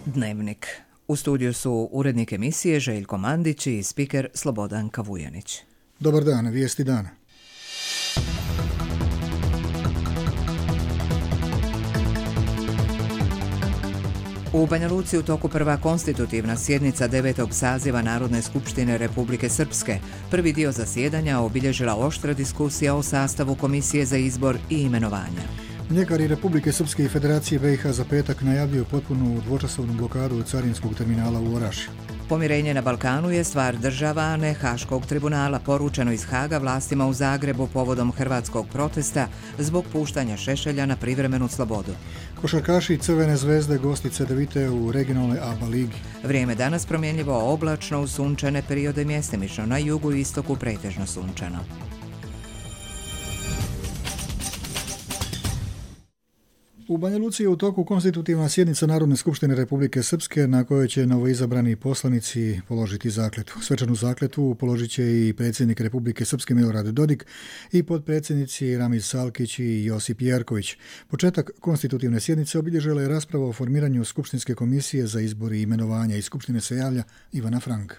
Dnevnik. U studiju su urednik emisije Željko Mandić i spiker Slobodan Kavujanić. Dobar dan, vijesti dana. U Banja Luci u toku prva konstitutivna sjednica 9. saziva Narodne skupštine Republike Srpske. Prvi dio zasjedanja obilježila oštra diskusija o sastavu Komisije za izbor i imenovanja. Mljekari Republike Srpske i Federacije BiH za petak najavljuju potpunu dvočasovnu blokadu carinskog terminala u Orašju. Pomirenje na Balkanu je stvar država, a ne Haškog tribunala, poručeno iz Haga vlastima u Zagrebu povodom hrvatskog protesta zbog puštanja Šešelja na privremenu slobodu. Košarkaši Crvene zvezde gosti Cedevite u regionalnoj ABA ligi. Vrijeme danas promjenljivo oblačno uz sunčane periode, mjestimično na jugu i istoku pretežno sunčano. U Banja Luci je u toku konstitutivna sjednica Narodne skupštine Republike Srpske na kojoj će novoizabrani poslanici položiti zakletvu. Svečanu zakletvu položit će i predsjednik Republike Srpske Milorad Dodik i potpredsjednici Ramiz Salkić i Josip Jerković. Početak konstitutivne sjednice obilježila je rasprava o formiranju Skupštinske komisije za izbor i imenovanja. Iz Skupštine se javlja Ivana Frank.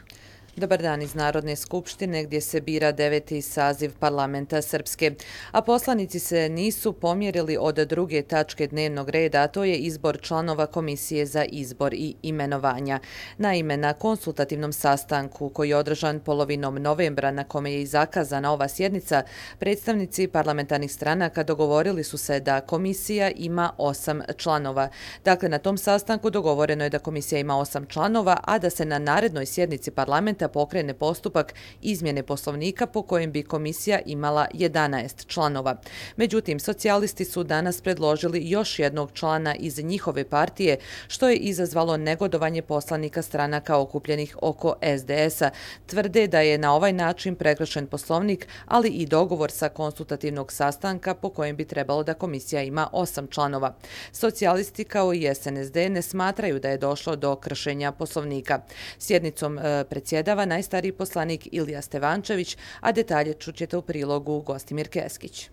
Dobar dan iz Narodne skupštine gdje se bira 9. saziv parlamenta Srpske. A poslanici se nisu pomjerili od druge tačke dnevnog reda, a to je izbor članova Komisije za izbor i imenovanja. Naime, na konsultativnom sastanku koji je održan polovinom novembra, na kome je i zakazana ova sjednica, predstavnici parlamentarnih stranaka dogovorili su se da komisija ima 8 članova. Dakle, na tom sastanku dogovoreno je da komisija ima 8 članova, a da se na narednoj sjednici parlamenta pokrene postupak izmjene poslovnika po kojem bi komisija imala 11 članova. Međutim, socijalisti su danas predložili još jednog člana iz njihove partije, što je izazvalo negodovanje poslanika stranaka okupljenih oko SDS-a. Tvrde da je na ovaj način prekršen poslovnik, ali i dogovor sa konsultativnog sastanka po kojem bi trebalo da komisija ima 8 članova. Socijalisti kao i SNSD ne smatraju da je došlo do kršenja poslovnika. Sjednicom predsjedava najstariji poslanik Ilija Stevančević, a detalje čućete u prilogu Gostimir Keskić.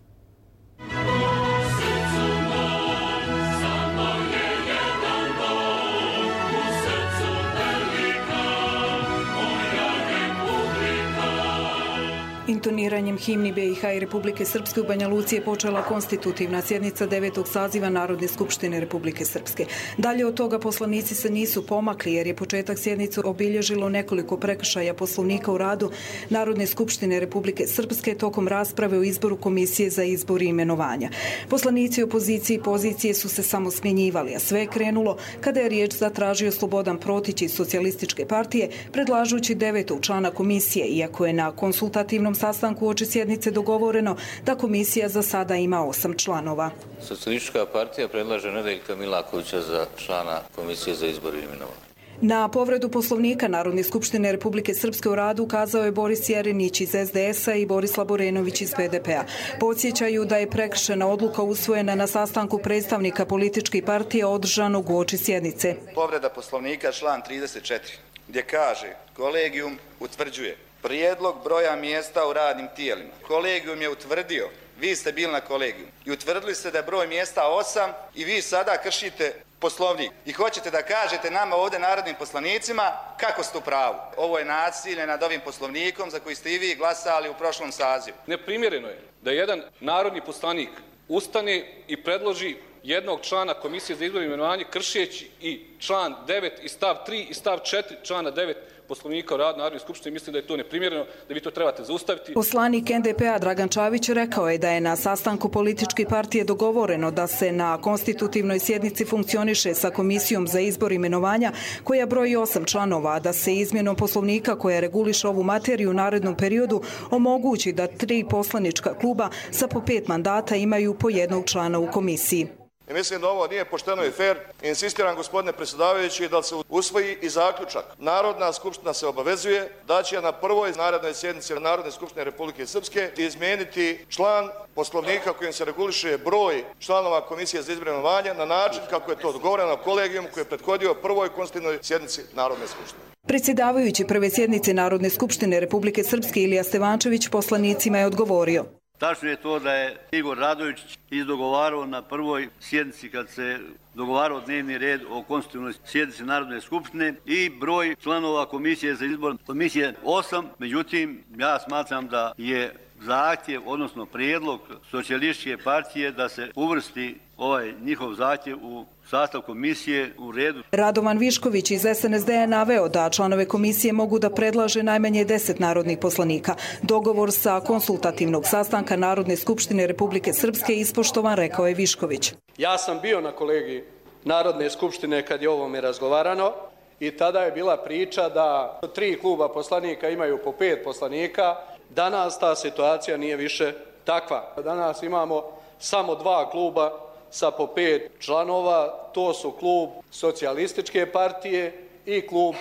Intoniranjem himni BiH i Republike Srpske u Banja Luci je počela konstitutivna sjednica 9. saziva Narodne skupštine Republike Srpske. Dalje od toga poslanici se nisu pomakli jer je početak sjednice obilježilo nekoliko prekršaja poslovnika u radu Narodne skupštine Republike Srpske tokom rasprave o izboru Komisije za izbor i imenovanja. Poslanici opozicije i pozicije su se samo smjenjivali, a sve je krenulo kada je riječ zatražio Slobodan Protić iz Socijalističke partije, predlažući 9. člana komisije, iako je na konsultativnom sastanku uoči sjednice dogovoreno da komisija za sada ima 8 članova. Socijalistička partija predlaže Nedeljka Milakovića za člana Komisije za izbor i imenovanje. Na povredu poslovnika Narodne skupštine Republike Srpske u radu ukazao je Boris Jerinić iz SDS-a i Boris Laborenović iz BDP-a. Podsjećaju da je prekršena odluka usvojena na sastanku predstavnika političkih partija održanog uoči sjednice. Povreda poslovnika član 34 gdje kaže kolegijum utvrđuje prijedlog broja mjesta u radnim tijelima. Kolegijum je utvrdio, vi ste bili na kolegiju i utvrdili ste da je broj mjesta 8 i vi sada kršite poslovnik i hoćete da kažete nama ovdje narodnim poslanicima kako ste u pravu. Ovo je nasilje nad ovim poslovnikom za koji ste i vi glasali u prošlom sazivu. Neprimjereno je da jedan narodni poslanik ustane i predloži jednog člana Komisije za izbor i imenovanje kršeći i član 9 i stav 3 i stav 4 člana 9 Poslovnika o radu Narodne skupštine. Mislim da je to neprimjereno, da vi to trebate zaustaviti. Poslanik NDP-a Dragan Čavić rekao je da je na sastanku političke partije dogovoreno da se na konstitutivnoj sjednici funkcioniše sa Komisijom za izbor i imenovanja koja broji 8 članova, a da se izmjenom poslovnika koja reguliše ovu materiju u narednom periodu omogući da 3 poslanička kluba sa po 5 mandata imaju po jednog člana u komisiji. I mislim da ovo nije pošteno i fair. Insistiram, gospodine predsjedavajući, da se usvoji i zaključak. Narodna skupština se obavezuje da će na prvoj narednoj sjednici Narodne skupštine Republike Srpske izmijeniti član poslovnika kojim se reguliše broj članova Komisije za izbor i imenovanje na način kako je to dogovoreno kolegijom koji je prethodio prvoj konstitutivnoj sjednici Narodne skupštine. Predsjedavajući prve sjednice Narodne skupštine Republike Srpske Ilija Stevančević poslanicima je odgovorio. Tačno je to da je Igor Radojičić izdogovarao na prvoj sjednici kad se dogovarao dnevni red o konstitutivnoj sjednici Narodne skupštine i broj članova komisije za izbor komisije 8. Međutim, ja smatram da je zahtjev, odnosno prijedlog Socijalističke partije da se uvrsti ovaj njihov zahtjev u sastav komisije u redu. Radovan Višković iz SNSD je naveo da članove komisije mogu da predlaže najmanje 10 narodnih poslanika. Dogovor sa konsultativnog sastanka Narodne skupštine Republike Srpske ispoštovan, rekao je Višković. Ja sam bio na kolegiji Narodne skupštine kad je o ovome razgovarano i tada je bila priča da 3 kluba poslanika imaju po 5 poslanika. Danas ta situacija nije više takva. Danas imamo samo 2 kluba sa po 5 članova, to su klub Socijalističke partije i klub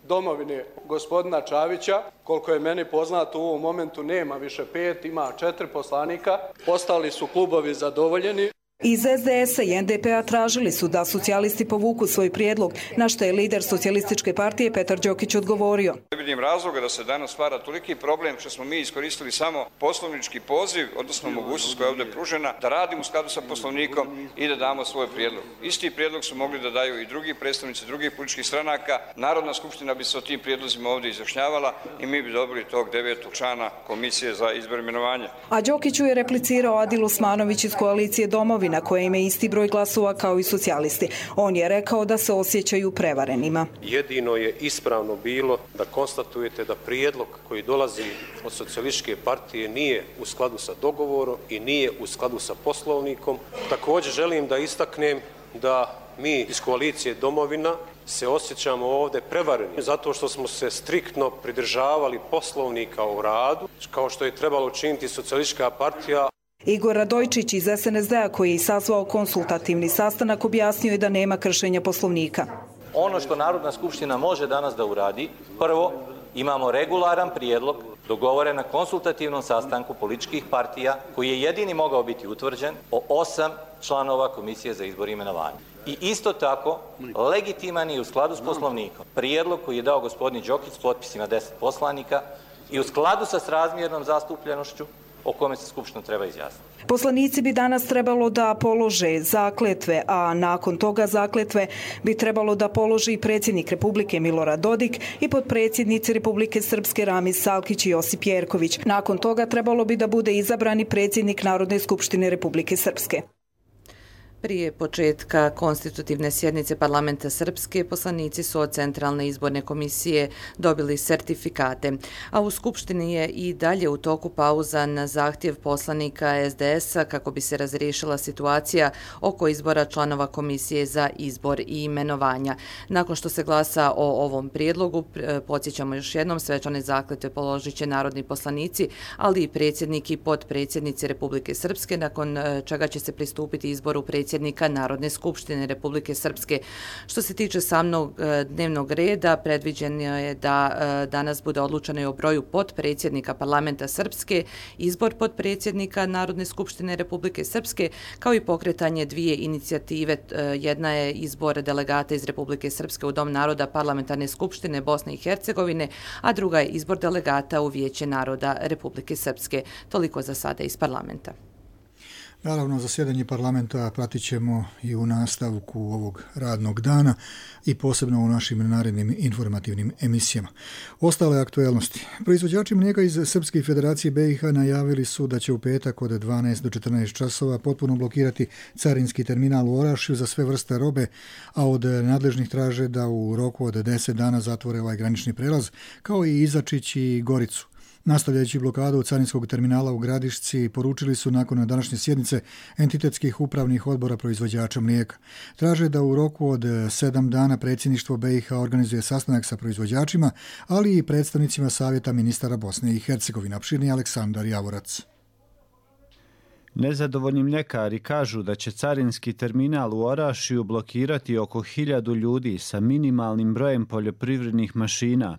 Domovine gospodina Čavića. Koliko je meni poznato, u ovom momentu nema više 5, ima 4 poslanika. Ostali su klubovi zadovoljeni. Iz SDS-a i NDP-a tražili su da socijalisti povuku svoj prijedlog, na što je lider Socijalističke partije Petar Đokić odgovorio. Ne vidim razloga da se danas stvara toliki problem što smo mi iskoristili samo poslovnički poziv, odnosno mogućnost koja je ovdje pružena, da radimo u skladu sa poslovnikom i da damo svoj prijedlog. Isti prijedlog su mogli da daju i drugi predstavnici drugih političkih stranaka. Narodna skupština bi se o tim prijedlozima ovdje izjašnjavala i mi bi dobili tog 9. člana komisije za izbor i imenovanje. A Đokiću je replicirao Adil Osmanović iz koalicije Domovi, na koje ima isti broj glasova kao i socijalisti. On je rekao da se osjećaju prevarenima. Jedino je ispravno bilo da konstatujete da prijedlog koji dolazi od Socijalističke partije nije u skladu sa dogovorom i nije u skladu sa poslovnikom. Također želim da istaknem da mi iz koalicije Domovina se osjećamo ovdje prevareni zato što smo se striktno pridržavali poslovnika o radu, kao što je trebalo učiniti Socijalistička partija. Igor Radojčić iz SNSD-a, koji je sazvao konsultativni sastanak, objasnio je da nema kršenja poslovnika. Ono što Narodna skupština može danas da uradi, prvo, imamo regularan prijedlog dogovoren na konsultativnom sastanku političkih partija, koji je jedini mogao biti utvrđen, o 8 članova komisije za izbor i imenovanje. I isto tako, legitiman i u skladu s poslovnikom prijedlog koji je dao gospodin Đokić s potpisima 10 poslanika i u skladu sa srazmjernom zastupljenošću o kome se Skupština treba izjasniti. Poslanici bi danas trebalo da polože zakletve, a nakon toga zakletve bi trebalo da položi i predsjednik Republike Milorad Dodik i potpredsjednici Republike Srpske Ramiz Salkić i Josip Jerković. Nakon toga trebalo bi da bude izabrani predsjednik Narodne skupštine Republike Srpske. Prije početka konstitutivne sjednice parlamenta Srpske, poslanici su od Centralne izborne komisije dobili sertifikate, a u Skupštini je i dalje u toku pauza na zahtjev poslanika SDS-a kako bi se razriješila situacija oko izbora članova komisije za izbor i imenovanja. Nakon što se glasa o ovom prijedlogu, podsjećamo još jednom, svečane zakletve položit će narodni poslanici, ali i predsjednik i potpredsjednici Republike Srpske, nakon čega će se pristupiti izboru predsjednika Narodne skupštine Republike Srpske. Što se tiče samog dnevnog reda, predviđeno je da danas bude odlučeno i o broju potpredsjednika parlamenta Srpske, izbor potpredsjednika Narodne skupštine Republike Srpske, kao i pokretanje 2 inicijative. Jedna je izbor delegata iz Republike Srpske u Dom naroda Parlamentarne skupštine Bosne i Hercegovine, a druga je izbor delegata u Vijeće naroda Republike Srpske. Toliko za sada iz parlamenta. Naravno, zasjedanje parlamenta pratit ćemo i u nastavku ovog radnog dana i posebno u našim narednim informativnim emisijama. Ostale aktuelnosti. Proizvođači mlijeka iz Srpske federacije BiH najavili su da će u petak od 12 do 14 časova potpuno blokirati carinski terminal u Orašju za sve vrste robe, a od nadležnih traže da u roku od 10 dana zatvore ovaj granični prelaz, kao i Izačić i Goricu. Nastavljajući blokadu carinskog terminala u Gradišci, poručili su nakon današnje sjednice entitetskih upravnih odbora proizvođača mlijeka. Traže da u roku od 7 dana predsjedništvo BiH organizuje sastanak sa proizvođačima, ali i predstavnicima Savjeta ministara Bosne i Hercegovine. Opširni Aleksandar Javorac. Nezadovoljni mljekari kažu da će carinski terminal u Orašju blokirati oko 1000 ljudi sa minimalnim brojem poljoprivrednih mašina.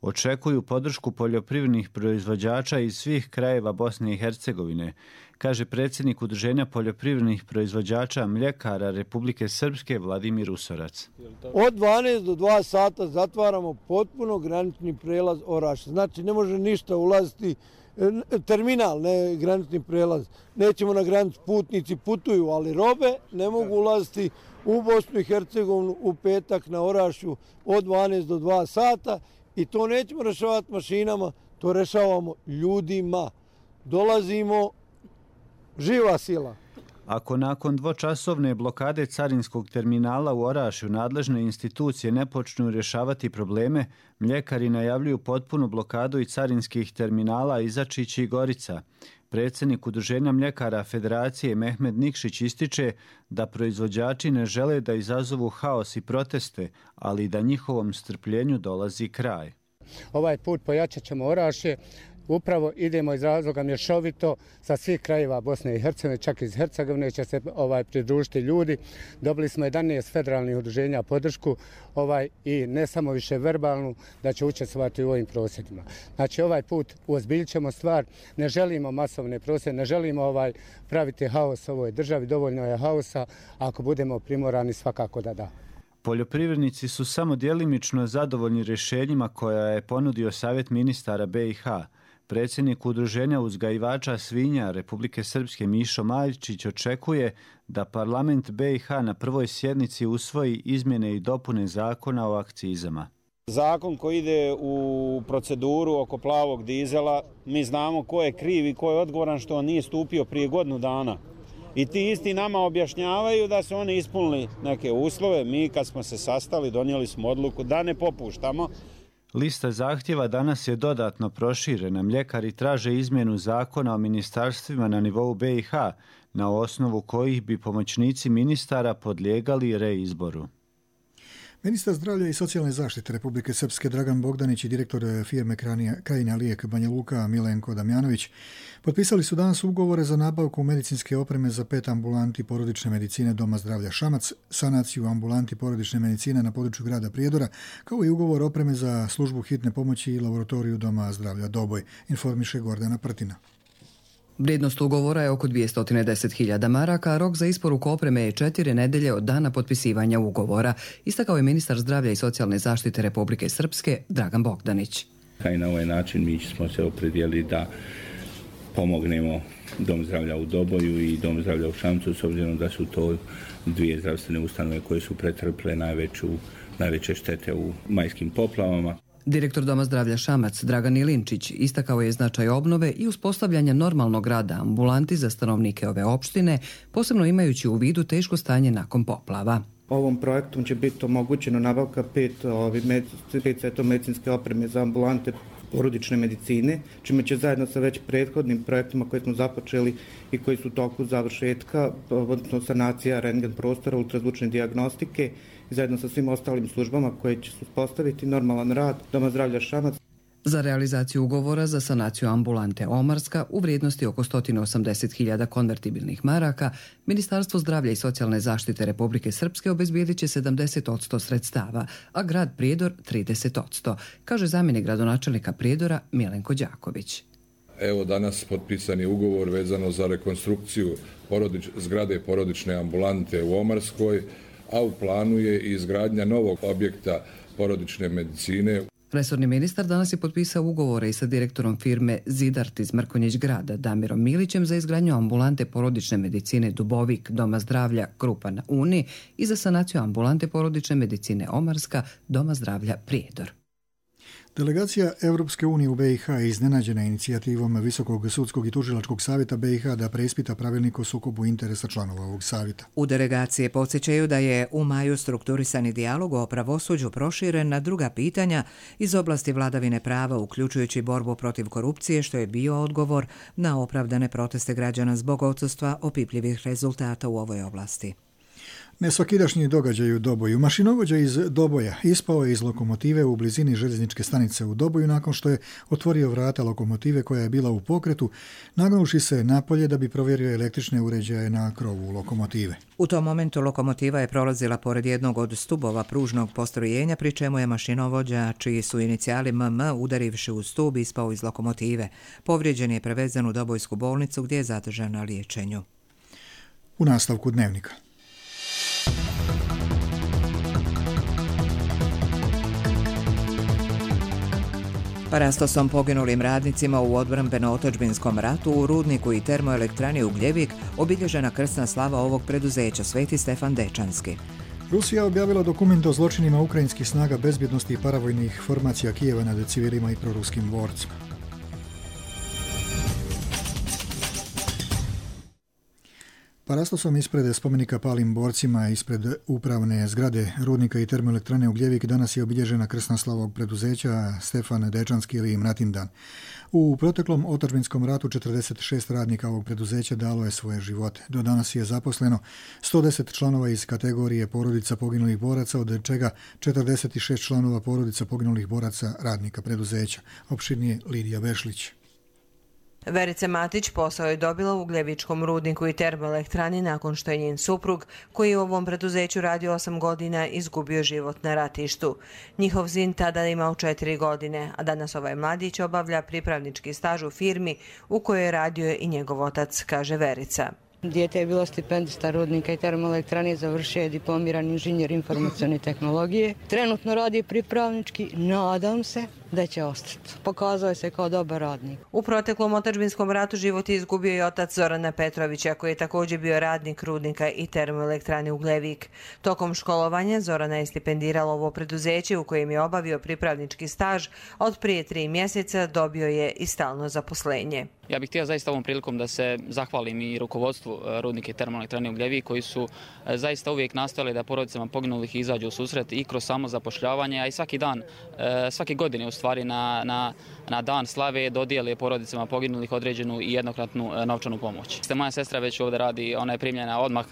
Očekuju podršku poljoprivrednih proizvođača iz svih krajeva Bosne i Hercegovine, kaže predsjednik Udruženja poljoprivrednih proizvođača mljekara Republike Srpske Vladimir Usorac. Od 12 do 2 sata zatvaramo potpuno granični prelaz Oraš. Znači ne može ništa ulaziti, terminal, ne granični prelaz. Nećemo na granicu, putnici putuju, ali robe ne mogu ulaziti u Bosnu i Hercegovinu u petak na Orašju od 12 do 2 sata i to nećemo rešavati mašinama, to rešavamo ljudima. Dolazimo, živa sila. Ako nakon dvočasovne blokade carinskog terminala u Orašju nadležne institucije ne počnu rješavati probleme, mljekari najavljuju potpunu blokadu i carinskih terminala Izačić i Gorica. Predsjednik Udruženja mljekara Federacije Mehmed Nikšić ističe da proizvođači ne žele da izazovu haos i proteste, ali da njihovom strpljenju dolazi kraj. Ovaj put pojačat ćemo Orašje. Upravo idemo iz razloga mješovito sa svih krajeva Bosne i Hercegovine, čak iz Hercegovine će se pridružiti ljudi. Dobili smo 11 federalnih udruženja podršku i ne samo više verbalnu da će učestvovati u ovim prosvjedima. Znači ovaj put uozbiljit ćemo stvar, ne želimo masovne prosvjede, ne želimo praviti haos u ovoj državi, dovoljno je haosa, ako budemo primorani svakako da da. Poljoprivrednici su samo djelimično zadovoljni rješenjima koja je ponudio Savjet ministara BiH. Predsjednik Udruženja uzgajivača svinja Republike Srpske Mišo Majčić očekuje da parlament BiH na prvoj sjednici usvoji izmjene i dopune zakona o akcizama. Zakon koji ide u proceduru oko plavog dizela, mi znamo ko je kriv i ko je odgovoran što on nije stupio prije godinu dana. I ti isti nama objašnjavaju da su oni ispunili neke uslove. Mi kad smo se sastali donijeli smo odluku da ne popuštamo. Lista zahtjeva danas je dodatno proširena. Mljekari traže izmjenu zakona o ministarstvima na nivou BiH, na osnovu kojih bi pomoćnici ministara podlijegali reizboru. Ministar zdravlja i socijalne zaštite Republike Srpske Dragan Bogdanić i direktor firme Krajina Lijek Banja Luka Milenko Damjanović potpisali su danas ugovore za nabavku medicinske opreme za 5 ambulanti porodične medicine Doma zdravlja Šamac, sanaciju ambulanti porodične medicine na području grada Prijedora, kao i ugovor opreme za službu hitne pomoći i laboratoriju Doma zdravlja Doboj, informiše Gordana Prtina. Vrijednost ugovora je oko 210.000 maraka, a rok za isporuku opreme je 4 nedelje od dana potpisivanja ugovora, istakao je ministar zdravlja i socijalne zaštite Republike Srpske Dragan Bogdanić. I na ovaj način mi smo se opredijelili da pomognemo Dom zdravlja u Doboju i Dom zdravlja u Šamcu, s obzirom da su to dvije zdravstvene ustanove koje su pretrpile najveće štete u majskim poplavama. Direktor Doma zdravlja Šamac Dragan Ilinčić istakao je značaj obnove i uspostavljanja normalnog rada ambulanti za stanovnike ove opštine, posebno imajući u vidu teško stanje nakon poplava. Ovom projektom će biti omogućeno nabavka 5 seta medicinske opreme za ambulante porodične medicine, čime će zajedno sa već prethodnim projektima koje smo započeli i koji su u toku završetka, odnosno sanacija rentgen prostora, ultrazvučne dijagnostike, i zajedno sa svim ostalim službama koje će uspostaviti normalan rad Doma zdravlja Šamac. Za realizaciju ugovora za sanaciju ambulante Omarska u vrijednosti oko 180.000 konvertibilnih maraka, Ministarstvo zdravlja i socijalne zaštite Republike Srpske obezbijedit će 70% sredstava, a grad Prijedor 30%, kaže zamjenik gradonačelnika Prijedora Milenko Đaković. Evo danas potpisan je ugovor vezano za rekonstrukciju zgrade porodične ambulante u Omarskoj, a u planu je i izgradnja novog objekta porodične medicine. Resorni ministar danas je potpisao ugovore i sa direktorom firme Zidart iz Mrkonjić grada Damirom Milićem za izgradnju ambulante porodične medicine Dubovik Doma zdravlja Krupa na Uni i za sanaciju ambulante porodične medicine Omarska Doma zdravlja Prijedor. Delegacija Europske unije u BiH je iznenađena inicijativom Visokog sudskog i tužilačkog savjeta BiH da preispita pravilnik o sukobu interesa članova ovog savjeta. U delegaciji podsjećaju da je u maju strukturisani dijalog o pravosuđu proširen na druga pitanja iz oblasti vladavine prava, uključujući borbu protiv korupcije, što je bio odgovor na opravdane proteste građana zbog odsustva opipljivih rezultata u ovoj oblasti. Nesvakidašnji događaj u Doboju. Mašinovođa iz Doboja ispao je iz lokomotive u blizini željezničke stanice u Doboju nakon što je otvorio vrata lokomotive koja je bila u pokretu, nagnuši se napolje da bi provjerio električne uređaje na krovu lokomotive. U tom momentu lokomotiva je prolazila pored jednog od stubova pružnog postrojenja, pri čemu je mašinovođa, čiji su inicijali MM, udarivši u stub, ispao iz lokomotive. Povrijeđen je prevezen u Dobojsku bolnicu gdje je zadržan na liječenju. U nastavku dnevnika. Parastosom poginulim radnicima u odbrambeno-otadžbinskom ratu u rudniku i termoelektrani Ugljevik obilježena krsna slava ovog preduzeća Sveti Stefan Dečanski. Rusija objavila dokument o zločinima ukrajinskih snaga bezbjednosti i paravojnih formacija Kijeva nad civilima i proruskim borcima. Parastosom ispred spomenika palim borcima ispred upravne zgrade rudnika i termoelektrane Ugljevik danas je obilježena krsna slava ovog preduzeća Stefan Dečanski ili Mratindan. U proteklom otadžbinskom ratu 46 radnika ovog preduzeća dalo je svoje živote. Do danas je zaposleno 110 članova iz kategorije porodica poginulih boraca, od čega 46 članova porodica poginulih boraca radnika preduzeća. Opširnije Lidija Vešlić. Verica Matić posao je dobila u Ugljevičkom rudniku i termoelektrani nakon što je njen suprug, koji je u ovom preduzeću radio 8 godina, izgubio život na ratištu. Njihov sin tada je imao 4 godine, a danas ovaj mladić obavlja pripravnički staž u firmi u kojoj je radio i njegov otac, kaže Verica. Dijete je bilo stipendista rudnika i termoelektrane, završio je diplomirani inženjer informacione tehnologije. Trenutno radi pripravnički, nadam se da će ostati. Pokazao se kao dobar radnik. U proteklom otadžbinskom ratu život je izgubio i otac Zorana Petrovića, koji je također bio radnik rudnika i termoelektrane Ugljevik. Tokom školovanja Zorana je stipendirala ovo preduzeće u kojem je obavio pripravnički staž, a od prije 3 mjeseca dobio je i stalno zaposlenje. Ja bih htio zaista ovom prilikom da se zahvalim i rukovodstvu rudnike i termoelektrane Ugljevik, koji su zaista uvijek nastojali da porodicama poginulih izađu u susret i kroz samo zapošljavanje, a i svake godine u stvari na dan slave dodijele porodicama poginulih određenu i jednokratnu novčanu pomoć. Moja sestra već ovdje radi, ona je primljena odmah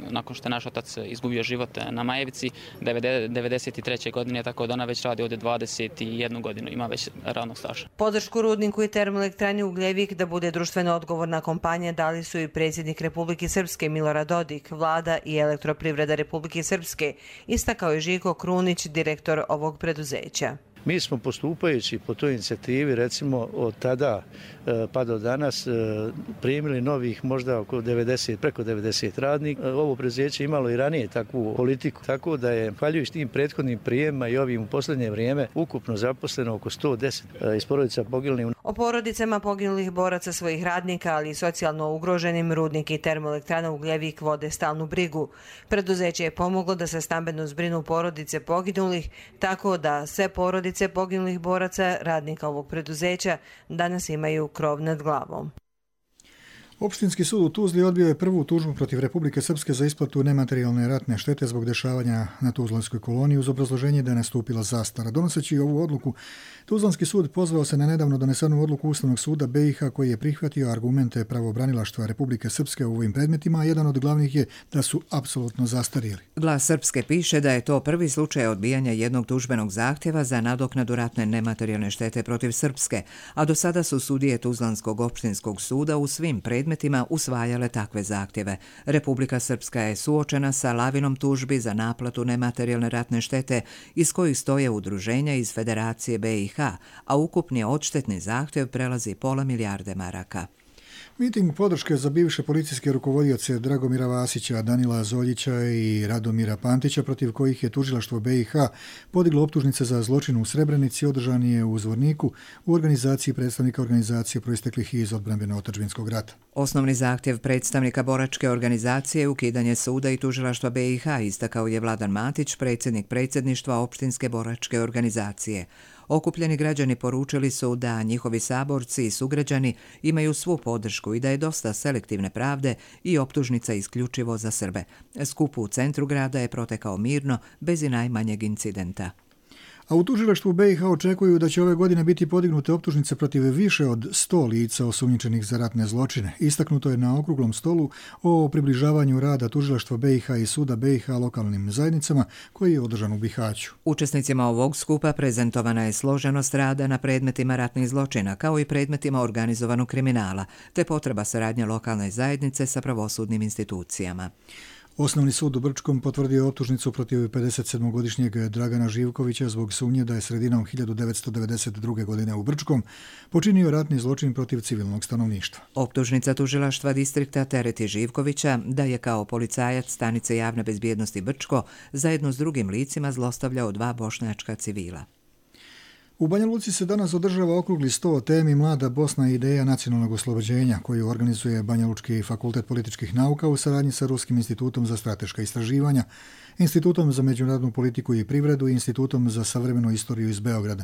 nakon što je naš otac izgubio život na Majevici 93. godine, tako da ona već radi ovdje 21 godinu, ima već radnog staža. Podršku rudniku i termoelektrani Ugljevik da bude društveno odgovorna kompanija dali su i predsjednik Republike Srpske Milorad Dodik, vlada i Elektroprivreda Republike Srpske, istakao je Žiko Krunić, direktor ovog preduzeća. Mi smo postupajući po toj inicijativi, recimo od tada pa do danas, primili novih možda preko 90 radnika. Ovo preduzeće imalo i ranije takvu politiku, tako da je, hvaljujući tim prethodnim prijemima i ovim u posljednje vrijeme, ukupno zaposleno oko 110 iz porodica poginulih. O porodicama poginulih boraca svojih radnika, ali i socijalno ugroženim, rudnik i termoelektrana Ugljevik vode stalnu brigu. Preduzeće je pomoglo da se stambeno zbrinu porodice poginulih, tako da sve porodice poginulih boraca radnika ovog preduzeća danas imaju krov nad glavom. Opštinski sud u Tuzli odbio je prvu tužbu protiv Republike Srpske za isplatu nematerijalne ratne štete zbog dešavanja na Tuzlanskoj koloniji uz obrazloženje da je nastupila zastara. Donoseći ovu odluku, Tuzlanski sud pozvao se na nedavno donesenu odluku Ustavnog suda BiH koji je prihvatio argumente pravobranilaštva Republike Srpske u ovim predmetima, a jedan od glavnih je da su apsolutno zastarjeli. Glas Srpske piše da je to prvi slučaj odbijanja jednog tužbenog zahtjeva za nadoknadu ratne nematerijalne štete protiv Srpske, a do sada su sudije Tuzlanskog opštinskog suda u svim predmetima usvajale takve zahtjeve. Republika Srpska je suočena sa lavinom tužbi za naplatu nematerijalne ratne štete iz kojih stoje udruženja iz Federacije BiH, a ukupni odštetni zahtjev prelazi pola milijarde maraka. Miting podrške za bivše policijske rukovodioce Dragomira Vasića, Danila Zoljića i Radomira Pantića, protiv kojih je tužilaštvo BiH podiglo optužnice za zločin u Srebrenici, održan je u Zvorniku u organizaciji predstavnika organizacije proisteklih iz odbrambeno-otadžbinskog rata. Osnovni zahtjev predstavnika boračke organizacije je ukidanje suda i tužilaštva BiH, istakao je Vladan Matić, predsjednik predsjedništva opštinske boračke organizacije. Okupljeni građani poručili su da njihovi saborci i sugrađani imaju svu podršku i da je dosta selektivne pravde i optužnica isključivo za Srbe. Skup u centru grada je protekao mirno, bez i najmanjeg incidenta. A u tužilaštvu BiH očekuju da će ove godine biti podignute optužnice protiv više od 100 lica osumnjičenih za ratne zločine. Istaknuto je na okruglom stolu o približavanju rada tužilaštva BiH i suda BiH lokalnim zajednicama koji je održan u Bihaću. Učesnicima ovog skupa prezentovana je složenost rada na predmetima ratnih zločina, kao i predmetima organizovanog kriminala, te potreba saradnje lokalne zajednice sa pravosudnim institucijama. Osnovni sud u Brčkom potvrdio je optužnicu protiv 57-godišnjeg Dragana Živkovića zbog sumnje da je sredinom 1992. godine u Brčkom počinio ratni zločin protiv civilnog stanovništva. Optužnica tužilaštva distrikta tereti Živkovića da je kao policajac stanice javne bezbjednosti Brčko zajedno s drugim licima zlostavljao 2 bošnjačka civila. U Banja Luci se danas održava okrugli sto o temi Mlada Bosna i ideja nacionalnog oslobođenja, koju organizuje Banja Lučki fakultet političkih nauka u saradnji sa Ruskim institutom za strateška istraživanja, Institutom za međunarodnu politiku i privredu i Institutom za savremenu istoriju iz Beograda.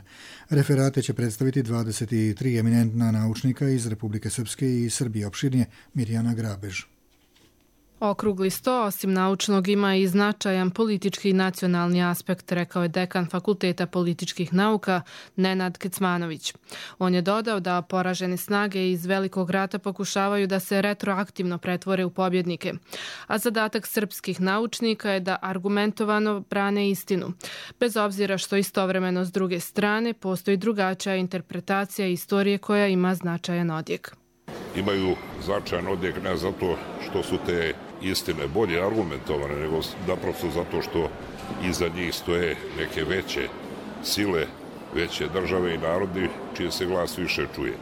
Referate će predstaviti 23 eminentna naučnika iz Republike Srpske i Srbije. Opširnije Mirjana Grabež. Okrugli sto, osim naučnog, ima i značajan politički i nacionalni aspekt, rekao je dekan Fakulteta političkih nauka Nenad Kecmanović. On je dodao da poražene snage iz Velikog rata pokušavaju da se retroaktivno pretvore u pobjednike, a zadatak srpskih naučnika je da argumentovano brane istinu, bez obzira što istovremeno s druge strane postoji drugačija interpretacija istorije koja ima značajan odjek. Imaju značajan odjek ne zato što su te istine bolje argumentovane, nego naprosto zato što iza njih stoje neke veće sile, veće države i narodi čiji se glas više čuje.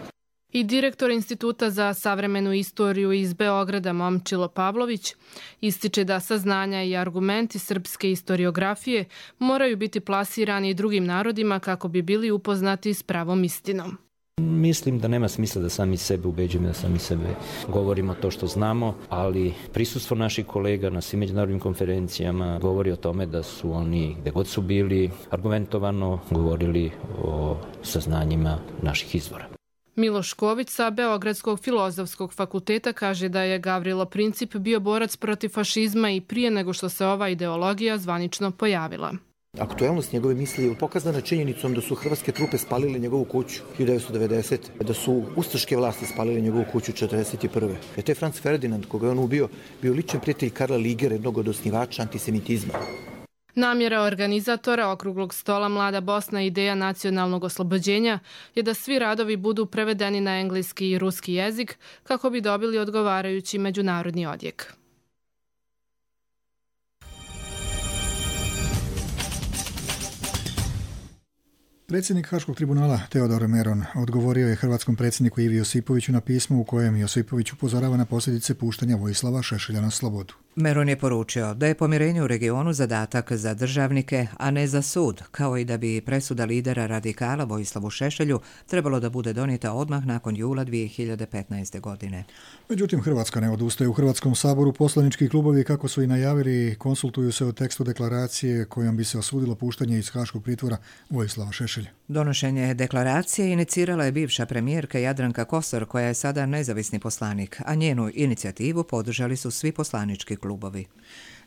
I direktor Instituta za savremenu istoriju iz Beograda Momčilo Pavlović ističe da saznanja i argumenti srpske istoriografije moraju biti plasirani i drugim narodima kako bi bili upoznati s pravom istinom. Mislim da nema smisla da sami sebe ubeđujemo, da sami sebe govorimo to što znamo, ali prisustvo naših kolega na svim međunarodnim konferencijama govori o tome da su oni, gde god su bili, argumentovano govorili o saznanjima naših izvora. Miloš Ković sa Beogradskog filozofskog fakulteta kaže da je Gavrilo Princip bio borac protiv fašizma i prije nego što se ova ideologija zvanično pojavila. Aktuelnost njegove misli je pokazana činjenicom da su hrvatske trupe spalile njegovu kuću 1990. Da su ustaške vlasti spalile njegovu kuću 1941. Je taj Franz Ferdinand, koga je on ubio, bio ličan prijatelj Karla Ligera, jednog od osnivača antisemitizma. Namjera organizatora okruglog stola Mlada Bosna i ideja nacionalnog oslobođenja je da svi radovi budu prevedeni na engleski i ruski jezik kako bi dobili odgovarajući međunarodni odjek. Predsjednik Haškog tribunala Teodor Meron odgovorio je hrvatskom predsjedniku Ivi Josipoviću na pismo u kojem Josipović upozorava na posljedice puštanja Vojislava Šešelja na slobodu. Meron je poručio da je pomirenje u regionu zadatak za državnike, a ne za sud, kao i da bi presuda lidera radikala Vojislavu Šešelju trebalo da bude donijeta odmah nakon jula 2015. godine. Međutim, Hrvatska ne odustaje. U Hrvatskom saboru poslanički klubovi, kako su i najavili, konsultuju se o tekstu deklaracije kojom bi se osudilo puštanje iz haškog pritvora Vojislava Šešelja. Donošenje deklaracije inicirala je bivša premijerka Jadranka Kosor, koja je sada nezavisni poslanik, a njenu inicijativu podržali su svi poslanički klubovi.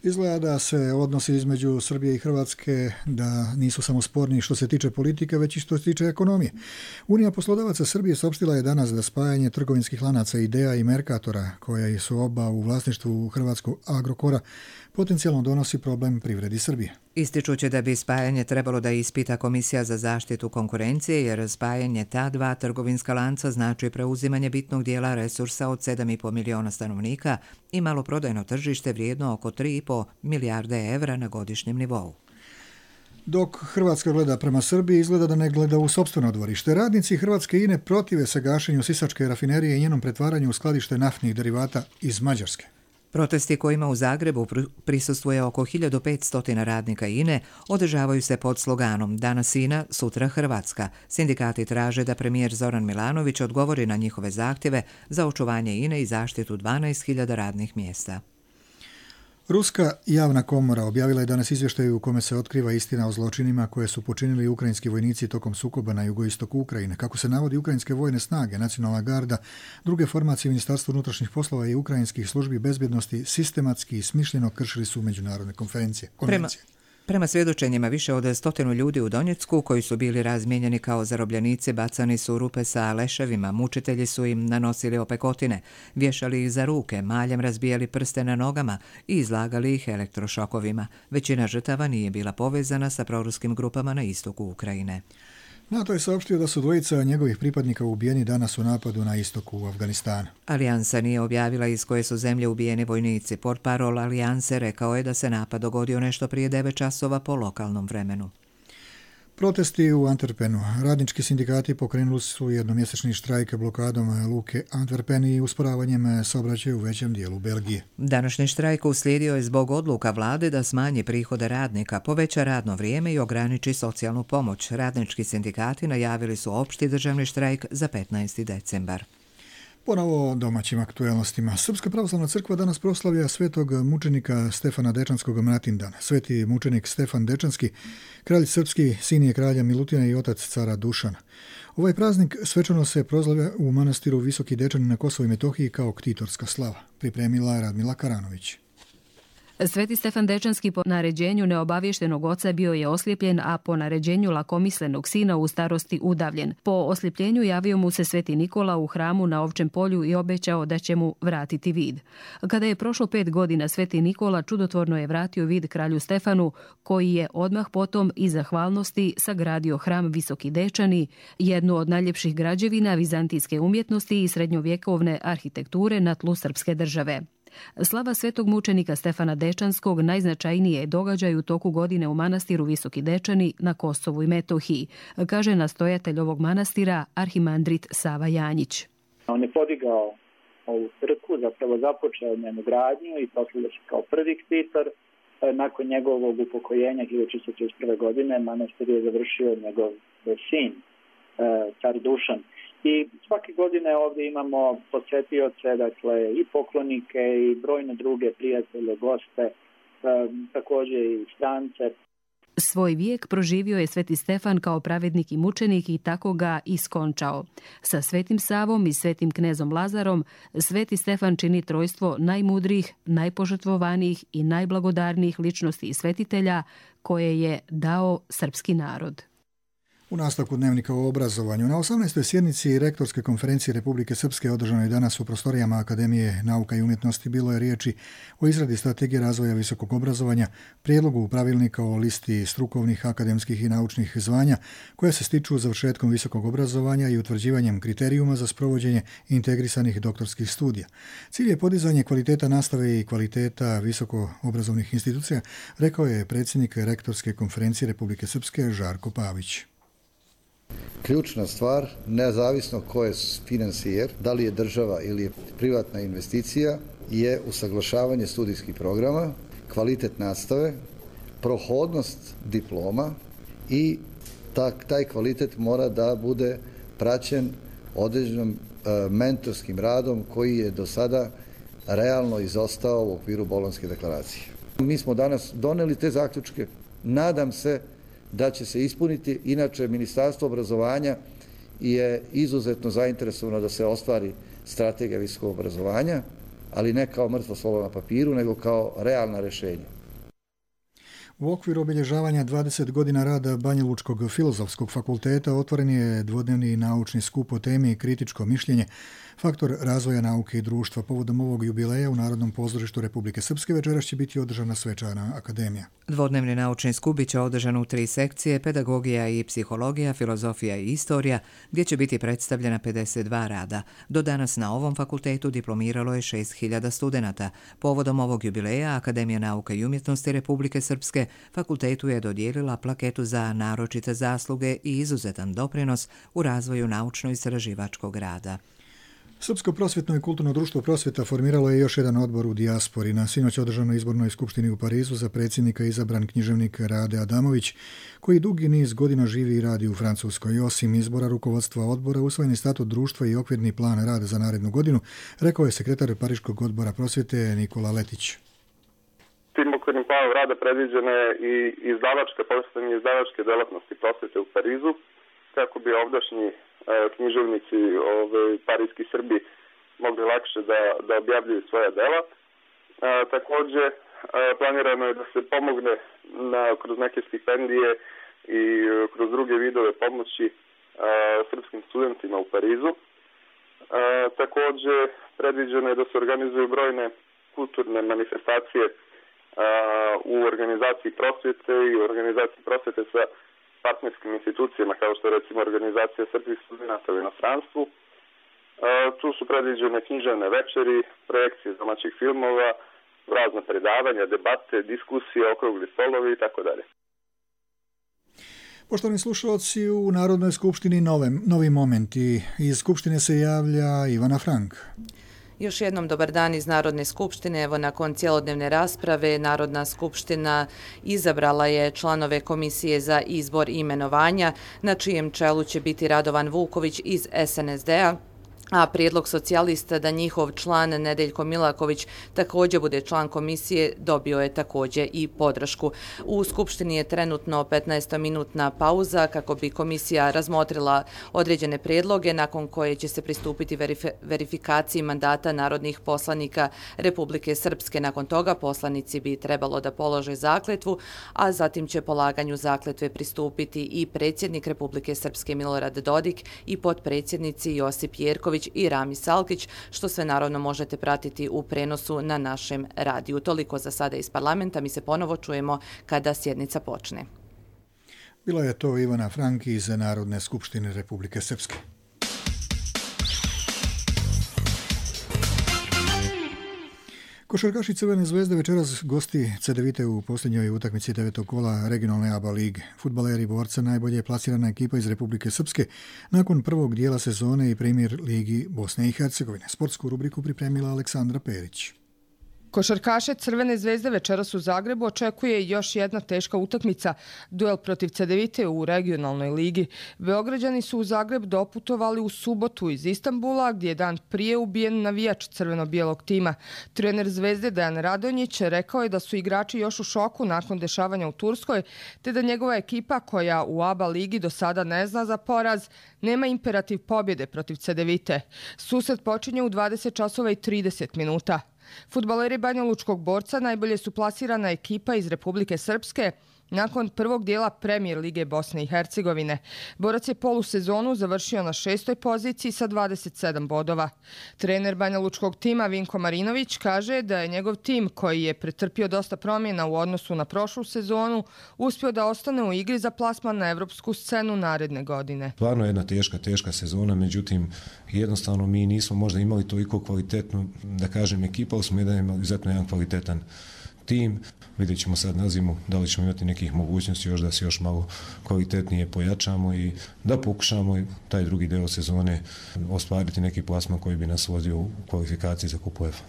Izgleda da se odnosi između Srbije i Hrvatske da nisu samo sporni što se tiče politike, već i što se tiče ekonomije. Unija poslodavaca Srbije saopštila je danas da spajanje trgovinskih lanaca Idea i Mercatora, koja su oba u vlasništvu hrvatskog Agrokora, potencijalno donosi problem privredi Srbije. Ističući da bi spajanje trebalo da ispita Komisija za zaštitu konkurencije, jer spajanje ta dva trgovinska lanca znači preuzimanje bitnog dijela resursa od 7,5 miliona stanovnika i maloprodajno tržište vrijedno oko 3,5 milijarde evra na godišnjem nivou. Dok Hrvatska gleda prema Srbiji, izgleda da ne gleda u sopstveno dvorište. Radnici Hrvatske INE protive se gašenju Sisačke rafinerije i njenom pretvaranju u skladište naftnih derivata iz Mađarske. Protesti kojima u Zagrebu prisustvuje oko 1500 radnika INE održavaju se pod sloganom Danas INA, sutra Hrvatska. Sindikati traže da premijer Zoran Milanović odgovori na njihove zahtjeve za očuvanje INE i zaštitu 12.000 radnih mjesta. Ruska javna komora objavila je danas izvještaj u kome se otkriva istina o zločinima koje su počinili ukrajinski vojnici tokom sukoba na jugoistoku Ukrajine. Kako se navodi, ukrajinske vojne snage, nacionalna garda, druge formacije Ministarstva unutrašnjih poslova i ukrajinskih službi bezbjednosti sistematski i smišljeno kršili su međunarodne konvencije. Prema svjedočenjima, više od 100 ljudi u Donjecku koji su bili razmijenjeni kao zarobljenici bacani su u rupe sa leševima, mučitelji su im nanosili opekotine, vješali ih za ruke, maljem razbijali prste na nogama i izlagali ih elektrošokovima. Većina žrtava nije bila povezana sa proruskim grupama na istoku Ukrajine. NATO je saopštio da su dvojica njegovih pripadnika ubijeni danas u napadu na istoku u Afganistanu. Alijansa nije objavila iz koje su zemlje ubijeni vojnici. Portparol Alijanse rekao je da se napad dogodio nešto prije 9 časova po lokalnom vremenu. Protesti u Antwerpenu. Radnički sindikati pokrenuli su jednomjesečni štrajk blokadom luke Antwerpen i usporavanjem saobraćaja u većem dijelu Belgije. Današnji štrajk uslijedio je zbog odluka vlade da smanji prihode radnika, poveća radno vrijeme i ograniči socijalnu pomoć. Radnički sindikati najavili su opšti državni štrajk za 15. decembar. Ponovo o domaćim aktuelnostima. Srpska pravoslavna crkva danas proslavlja svetog mučenika Stefana Dečanskog Mratindan. Sveti mučenik Stefan Dečanski, kralj srpski, sin je kralja Milutina i otac cara Dušana. Ovaj praznik svečano se proslavlja u manastiru Visoki Dečani na Kosovu i Metohiji kao ktitorska slava. Pripremila je Radmila Karanović. Sveti Stefan Dečanski po naređenju neobavještenog oca bio je oslijepljen, a po naređenju lakomislenog sina u starosti udavljen. Po osljepljenju javio mu se Sveti Nikola u hramu na Ovčem polju i obećao da će mu vratiti vid. Kada je prošlo 5 godina, Sveti Nikola čudotvorno je vratio vid kralju Stefanu, koji je odmah potom iz zahvalnosti sagradio hram Visoki Dečani, jednu od najljepših građevina vizantijske umjetnosti i srednjovjekovne arhitekture na tlu srpske države. Slava svetog mučenika Stefana Dečanskog najznačajnije je događaj u toku godine u manastiru Visoki Dečani na Kosovu i Metohiji, kaže nastojatelj ovog manastira arhimandrit Sava Janjić. On je podigao ovu crkvu, zapravo započeo njenu gradnju i proslavio se kao prvi ktitor. Nakon njegovog upokojenja 1631. godine manastir je završio njegov sin, car Dušan. I svake godine ovdje imamo posjetioce, dakle i poklonike i brojne druge prijatelje, goste, također i strance. Svoj vijek proživio je Sveti Stefan kao pravednik i mučenik i tako ga iskončao. Sa Svetim Savom i Svetim knezom Lazarom, Sveti Stefan čini trojstvo najmudrijih, najpožrtvovanijih i najblagodarnijih ličnosti i svetitelja koje je dao srpski narod. U nastavku dnevnika o obrazovanju, na 18. sjednici Rektorske konferencije Republike Srpske održanoj danas u prostorijama Akademije nauka i umjetnosti bilo je riječi o izradi strategije razvoja visokog obrazovanja, prijedlogu pravilnika o listi strukovnih, akademskih i naučnih zvanja koje se stiču završetkom visokog obrazovanja i utvrđivanjem kriterijuma za sprovođenje integrisanih doktorskih studija. Cilj je podizanje kvaliteta nastave i kvaliteta visokoobrazovnih institucija, rekao je predsjednik Rektorske konferencije Republike Srpske Žarko Pavić. Ključna stvar, nezavisno ko je financijer, da li je država ili je privatna investicija, je usaglašavanje studijskih programa, kvalitet nastave, prohodnost diploma i taj kvalitet mora da bude praćen određenom mentorskim radom koji je do sada realno izostao u okviru Bolonjske deklaracije. Mi smo danas doneli te zaključke, nadam se da će se ispuniti. Inače, Ministarstvo obrazovanja je izuzetno zainteresovano da se ostvari strategija visokog obrazovanja, ali ne kao mrtvo slovo na papiru, nego kao realna rješenja. U okviru obilježavanja 20 godina rada Banjalučkog filozofskog fakulteta otvoren je dvodnevni naučni skup o temi kritičko mišljenje, faktor razvoja nauke i društva. Povodom ovog jubileja u Narodnom pozorištu Republike Srpske večeras će biti održana svečana akademija. Dvodnevni naučni skup biće održan u 3 sekcije, pedagogija i psihologija, filozofija i istorija, gdje će biti predstavljena 52 rada. Do danas na ovom fakultetu diplomiralo je 6000 studenata. Povodom ovog jubileja Akademija nauka i umjetnosti Republike Srpske fakultetu je dodijelila plaketu za naročite zasluge i izuzetan doprinos u razvoju naučno-istraživačkog rada. Srpsko prosvjetno i kulturno društvo Prosvjeta formiralo je još jedan odbor u dijaspori. Na sinoć održanoj izbornoj skupštini u Parizu za predsjednika izabran književnik Rade Adamović, koji dugi niz godina živi i radi u Francuskoj. Osim izbora rukovodstva odbora, usvojen je statut društva i okvirni plan rada za narednu godinu, rekao je sekretar Pariškog odbora Prosvjete Nikola Letić. Tim okvirnim planom rada predviđene i postavljanje izdavačke delatnosti prosvjete u Parizu, kako bi ovdašnji književnici parijski Srbi mogli lakše da objavljuju svoja dela. Također planirano je da se pomogne kroz neke stipendije i kroz druge vidove pomoći srpskim studentima u Parizu. Takođe, predviđeno je da se organizuju brojne kulturne manifestacije u organizaciji prosvjete i u organizaciji prosvjete sa partnerskim institucijama, kao što je recimo organizacija srpskih studenta u inostranstvu. Tu su predviđene književne večeri, projekcije domaćih filmova, razna predavanja, debate, diskusije, okrugli stolovi i tako dalje. Poštovani slušalci, u Narodnoj skupštini novi momenti. Iz skupštine se javlja Ivana Frank. Još jednom dobar dan iz Narodne skupštine. Evo, nakon cjelodnevne rasprave, Narodna skupština izabrala je članove Komisije za izbor i imenovanja, na čijem čelu će biti Radovan Vuković iz SNSD-a, a prijedlog socijalista da njihov član Nedeljko Milaković također bude član komisije dobio je također i podršku. U Skupštini je trenutno 15-minutna pauza kako bi komisija razmotrila određene prijedloge nakon koje će se pristupiti verifikaciji mandata narodnih poslanika Republike Srpske. Nakon toga poslanici bi trebalo da polože zakletvu, a zatim će polaganju zakletve pristupiti i predsjednik Republike Srpske Milorad Dodik i potpredsjednici Josip Jerković i Rami Salkić, što sve naravno možete pratiti u prenosu na našem radiju. Toliko za sada iz parlamenta, mi se ponovo čujemo kada sjednica počne. Bila je to Ivana Frank iz Narodne skupštine Republike Srpske. Košarkaši Crvene zvezde večeras gosti CDVite u posljednjoj utakmici 9. kola regionalne ABA lige. Fudbaleri Borca najbolje je plasirana ekipa iz Republike Srpske nakon prvog dijela sezone i Premier ligi Bosne i Hercegovine. Sportsku rubriku pripremila Aleksandra Perić. Košarkaše Crvene zvezde večeras u Zagrebu očekuje još jedna teška utakmica, duel protiv CDVite u regionalnoj ligi. Beograđani su u Zagreb doputovali u subotu iz Istanbula, gdje je dan prije ubijen navijač crveno-bijelog tima. Trener Zvezde Dejan Radonjić rekao je da su igrači još u šoku nakon dešavanja u Turskoj, te da njegova ekipa, koja u ABA ligi do sada ne zna za poraz, nema imperativ pobjede protiv CDVite. Susret počinje u 20:30 minuta. Fudbaleri Banjalučkog Borca najbolje su plasirana ekipa iz Republike Srpske nakon prvog dijela Premier lige Bosne i Hercegovine. Borac je polusezonu završio na 6. poziciji sa 27 bodova. Trener Banjalučkog tima Vinko Marinović kaže da je njegov tim, koji je pretrpio dosta promjena u odnosu na prošlu sezonu, uspio da ostane u igri za plasman na evropsku scenu naredne godine. Stvarno je jedna teška sezona, međutim jednostavno mi nismo možda imali toliko kvalitetnu, da kažem, ekipa, ali smo imali izuzetno jedan kvalitetan tim. Vidjet ćemo sad na zimu da li ćemo imati nekih mogućnosti još da se još malo kvalitetnije pojačamo i da pokušamo taj drugi deo sezone ostvariti neki plasman koji bi nas vodio u kvalifikaciji za Kup UEFA.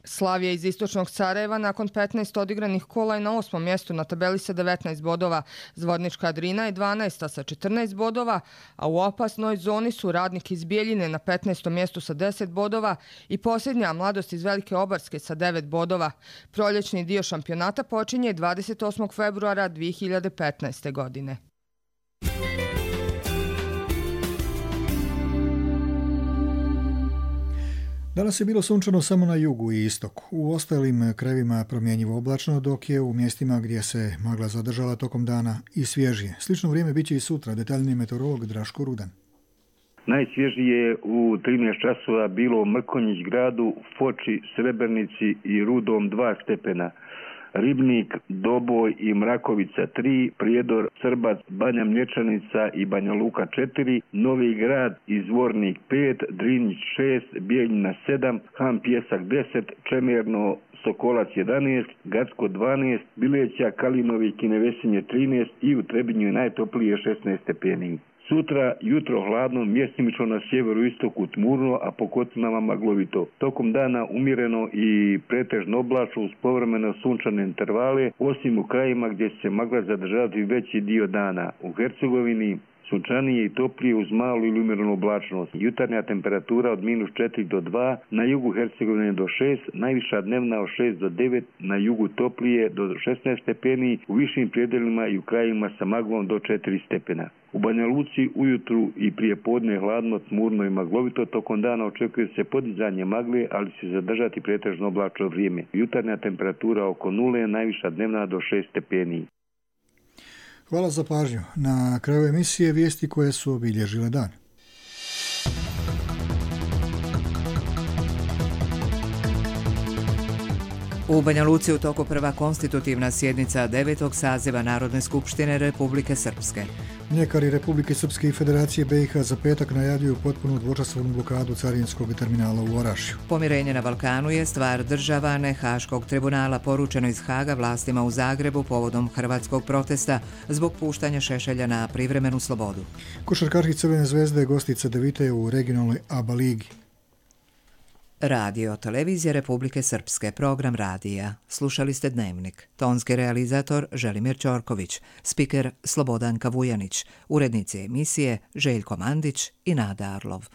Slavija iz istočnog Sarajeva nakon 15 odigranih kola je na 8. mjestu na tabeli sa 19 bodova. Zvornička Drina je 12. sa 14 bodova, a u opasnoj zoni su Radnik iz Bijeljine na 15. mjestu sa 10 bodova i posljednja Mladost iz Velike Obarske sa 9 bodova. Proljećni dio šampionata počinje 28. februara 2015. godine. Danas je bilo sunčano samo na jugu i istoku. U ostalim krajevima promjenjivo oblačno, dok je u mjestima gdje se magla zadržala tokom dana i svježije. Slično vrijeme biće i sutra. Detaljni meteorolog Draško Rudan. Najsvježije u 13 časova bilo u Mrkonjić gradu, Foči, Srebrnici i Rudom 2 stepena. Ribnik, Doboj i Mrakovica 3, Prijedor, Srbac, Banja Mlječanica i Banja Luka 4, Novi Grad i Zvornik 5, Drinjić 6, Bijeljina 7, Han Pjesak 10, Čemerno, Sokolac 11, Gacko 12, Bileća, Kalinovi i Kinevesinje 13 i u Trebinju je najtoplije 16 stepeni. Sutra jutro hladno, mjestimično na sjeveru istoku tmurno, a po kotlinama maglovito. Tokom dana umjereno i pretežno oblačno uz povremeno sunčane intervale, osim u krajima gdje će se magla zadržati veći dio dana. U Hercegovini sunčanije i toplije uz malu ili umjerenu oblačnost. Jutarnja temperatura od -4 do 2, na jugu Hercegovine do 6, najviša dnevna od 6 do 9, na jugu toplije do 16 stepeni, u višim predelima i u krajima sa maglom do 4 stepena. U Banja Luci ujutru i prije podne hladno, tmurno i maglovito, tokom dana očekuje se podizanje magle, ali će zadržati pretežno oblačno vrijeme. Jutarnja temperatura oko 0, najviša dnevna do 6 stepeni. Hvala za pažnju. Na kraju emisije vijesti koje su obilježile dan. U Banja Luci u toku prva konstitutivna sjednica 9. saziva Narodne skupštine Republike Srpske. Mljekari Republike Srpske i Federacije BiH za petak najavljuju potpunu dvočasovnu blokadu carinskog terminala u Orašju. Pomirenje na Balkanu je stvar država, ne Haškog tribunala, poručeno iz Haga vlastima u Zagrebu povodom hrvatskog protesta zbog puštanja Šešelja na privremenu slobodu. Košarkaši Crvene zvezde gosti CDVite u regionalnoj ABA ligi. Radio Televizija Republike Srpske, program radija. Slušali ste Dnevnik. Tonski realizator Želimir Ćorković, spiker Slobodanka Vujanić, urednici emisije Željko Mandić i Nada Arlov.